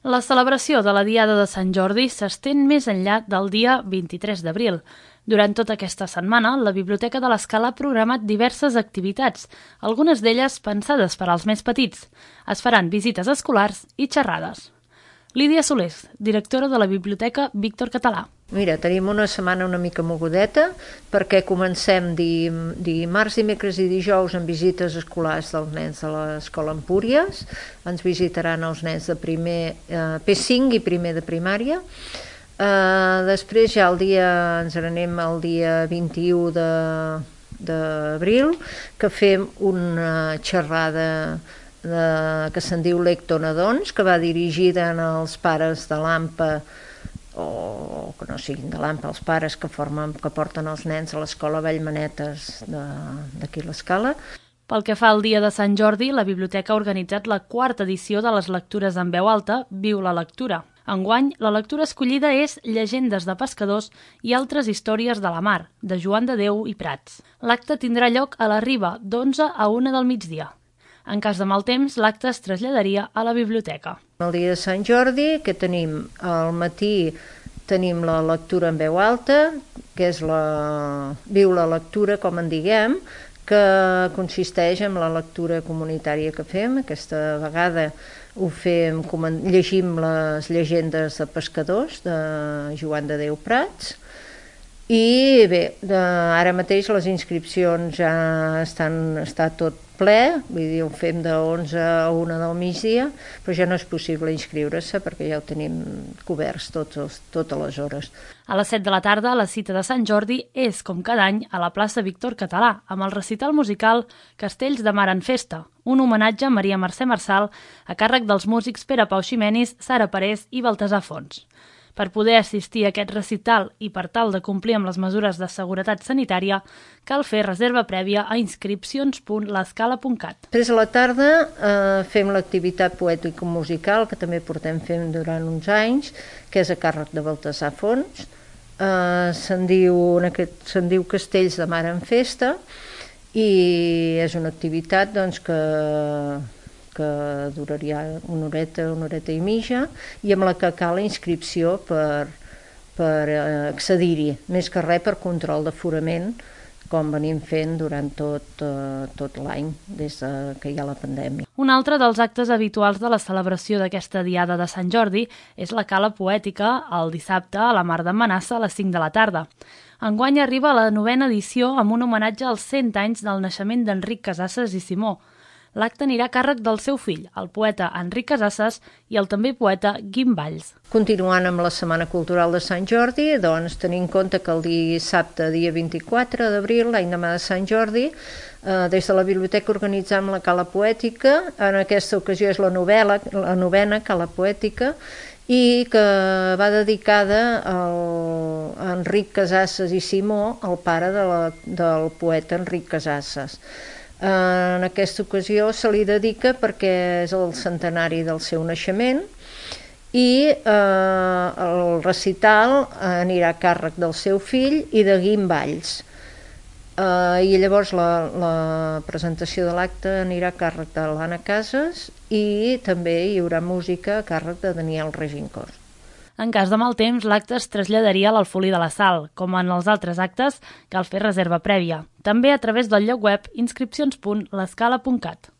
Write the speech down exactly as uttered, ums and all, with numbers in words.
La celebració de la Diada de Sant Jordi s'estén més enllà del dia vint-i-tres d'abril. Durant tota aquesta setmana, la Biblioteca de l'Escala ha programat diverses activitats, algunes d'elles pensades per als més petits. Es faran visites escolars i xerrades. Lídia Solés, directora de la Biblioteca Víctor Català. Mira, tenim una setmana una mica mogudeta perquè comencem dimarts, dimecres i dijous amb visites escolars dels nens de l'Escola Empúries. Ens visitaran els nens de primer eh, P cinc i primer de primària. Eh, després ja el dia, ens n'anem el dia vint-i-u d'abril, que fem una xerrada de, que se'n diu Lectonadons, que va dirigida als pares de l'A M P A o que no siguin de l'A M P A, els pares que, formen, que porten els nens a l'escola Vallmanetes d'aquí l'Escala. Pel que fa al dia de Sant Jordi, la Biblioteca ha organitzat la quarta edició de les lectures en veu alta, Viu la lectura. Enguany, la lectura escollida és Llegendes de pescadors i altres històries de la mar, de Joan de Déu i Prats. L'acte tindrà lloc a la Riba, d'onze a una del migdia. En cas de mal temps, l'acte es traslladaria a la biblioteca. El dia de Sant Jordi, que tenim al matí, tenim la lectura en veu alta, que és la Viu la lectura, com en diguem, que consisteix en la lectura comunitària que fem. Aquesta vegada ho fem, llegim les llegendes de pescadors de Joan de Déu Prats. I bé, de, ara mateix les inscripcions ja estan, està tot ple, vull dir, ho fem de onze a una del migdia, però ja no és possible inscriure-se perquè ja ho tenim coberts tots els, totes les hores. A les set de la tarda, la cita de Sant Jordi és, com cada any, a la plaça Víctor Català, amb el recital musical Castells de Mar en Festa, un homenatge a Maria Mercè Marçal a càrrec dels músics Pere Pau Ximenis, Sara Parés i Baltasar Fons. Per poder assistir a aquest recital i per tal de complir amb les mesures de seguretat sanitària, cal fer reserva prèvia a inscripcions punt l'escala punt cat. Després a la tarda eh, fem l'activitat poètico-musical, que també portem fent durant uns anys, que és a càrrec de Baltasar Fons. Eh, se'n diu, se'n diu Castells de Mar en Festa i és una activitat doncs, que... que duraria una horeta, una horeta i mitja, i amb la que cal la inscripció per, per accedir-hi, més que res per control d'aforament, com venim fent durant tot, eh, tot l'any, des que hi ha la pandèmia. Un altre dels actes habituals de la celebració d'aquesta Diada de Sant Jordi és la cala poètica el dissabte a la Mar d'en Manassa a les cinc de la tarda. Enguany arriba la novena edició amb un homenatge als cent anys del naixement d'Enric Casasses i Simó. L'acte anirà a càrrec del seu fill, el poeta Enric Casasses i el també poeta Guim Valls. Continuant amb la Setmana Cultural de Sant Jordi, doncs tenint en compte que el dissabte, dia vint-i-quatre d'abril, l'any demà de Sant Jordi, eh, des de la biblioteca organitzam la cala poètica. En aquesta ocasió és la, novel·la, la novena cala poètica, i que va dedicada al, a Enric Casasses i Simó, el pare de la, del poeta Enric Casasses. En aquesta ocasió se li dedica perquè és el centenari del seu naixement i eh, el recital anirà a càrrec del seu fill i de Guim Valls. Eh, I llavors la, la presentació de l'acte anirà a càrrec de l'Anna Casas i també hi haurà música a càrrec de Daniel Regincós. En cas de mal temps, l'acte es traslladaria a l'Alfolí de la Sal. Com en els altres actes, cal fer reserva prèvia. També a través del lloc web inscripcions punt l'escala punt cat.